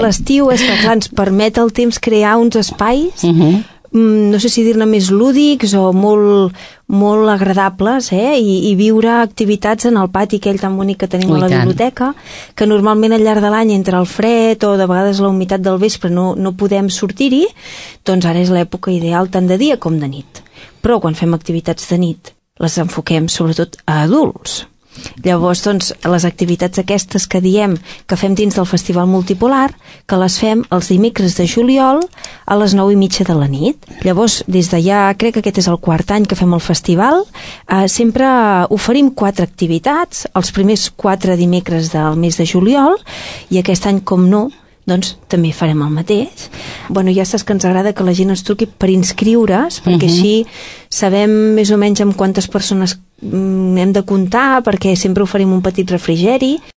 l'estiu és que, clar, ens permet el temps crear uns espais, no sé si dir-ne més lúdics o molt agradables, i viure activitats en el pati aquell tan bonic que tenim a la biblioteca, que normalment al llarg de l'any entre el fred o de vegades la humitat del vespre no podem sortir-hi, doncs ara és l'època ideal tant de dia com de nit. Però quan fem activitats de nit les enfoquem sobretot a adults. Llavors, doncs, les activitats aquestes que diem que fem dins del Festival Multipolar, que les fem els dimecres de juliol a les 9:30 de la nit. Llavors, des de ja, crec que aquest és el 4è any que fem el festival, sempre oferim 4 activitats, els primers 4 dimecres del mes de juliol, i aquest any, com no, doncs també farem el mateix. Bueno, ja saps que ens agrada que la gent ens truqui per inscriure's, perquè així sabem més o menys amb quantes persones hem de comptar, perquè sempre oferim un petit refrigeri.